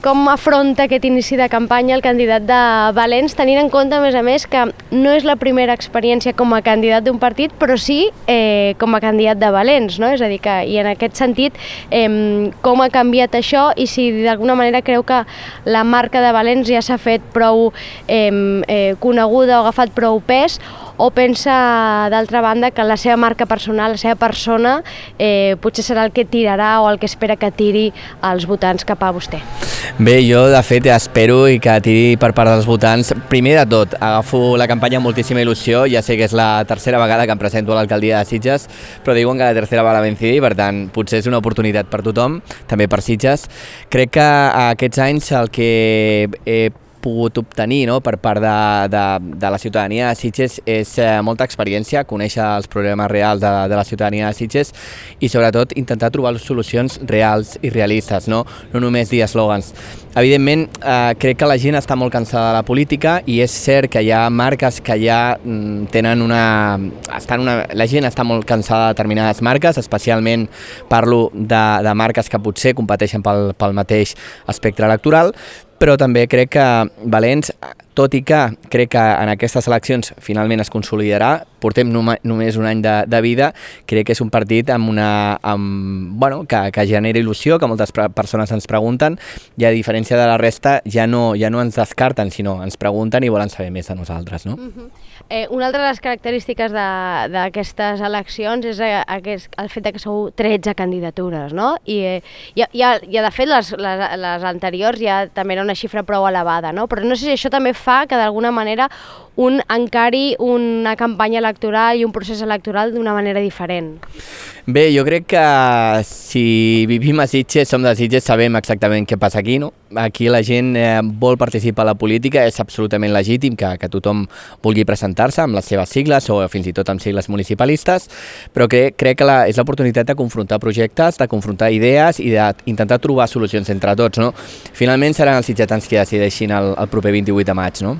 com afronta aquest inici de campanya el candidat de Valens, tenint en compte, a més, que no és la primera experiència com a candidat d'un partit, però sí com a candidat de Valens, no? És a dir, que, i en aquest sentit, com ha canviat això i si d'alguna manera creu que la marca de Valens ja s'ha fet prou coneguda o ha agafat prou pes, o pensa, d'altra banda, que la seva marca personal, la seva persona, potser serà el que tirarà o el que espera que tiri els votants cap a vostè? Bé, jo de fet espero i que tiri per part dels votants. Primer de tot, agafo la campanya amb moltíssima il·lusió, ja sé que és la tercera vegada que em presento a l'alcaldia de Sitges, però diuen que la tercera va la vencida i per tant potser és una oportunitat per tothom, també per Sitges. Crec que aquests anys el que he pogut obtenir, no, per part de la ciutadania de Sitges és molta experiència, conèixer els problemes reals de la ciutadania de Sitges i sobretot intentar trobar solucions reals i realistes, no només dir eslògans. Evidentment, crec que la gent està molt cansada de la política i és cert que hi ha marques que ja tenen la gent està molt cansada de determinades marques, especialment parlo de marques que potser competeixen pel mateix espectre electoral, però també crec que Valens, tot i que crec que en aquestes eleccions finalment es consolidarà, portem només un any de vida, crec que és un partit que genera il·lusió, que moltes persones ens pregunten, i a diferència de la resta ja no ens descarten, sinó ens pregunten i volen saber més de nosaltres, no? Una altra de les característiques d'aquestes eleccions és el fet que sou 13 candidatures, no? I de fet les anteriors ja també era una xifra prou elevada, no? Però no sé si això també fa que d'alguna manera un encari una campanya electoral i un procés electoral d'una manera diferent. Bé, jo crec que si vivim a Sitges, som de Sitges, sabem exactament què passa aquí, no? Aquí la gent vol participar a la política, és absolutament legítim que tothom vulgui presentar-se amb les seves sigles o fins i tot amb sigles municipalistes, però crec que és l'oportunitat de confrontar projectes, de confrontar idees i d'intentar trobar solucions entre tots, no? Finalment seran els sitgetans qui decideixin el proper 28 de maig, no?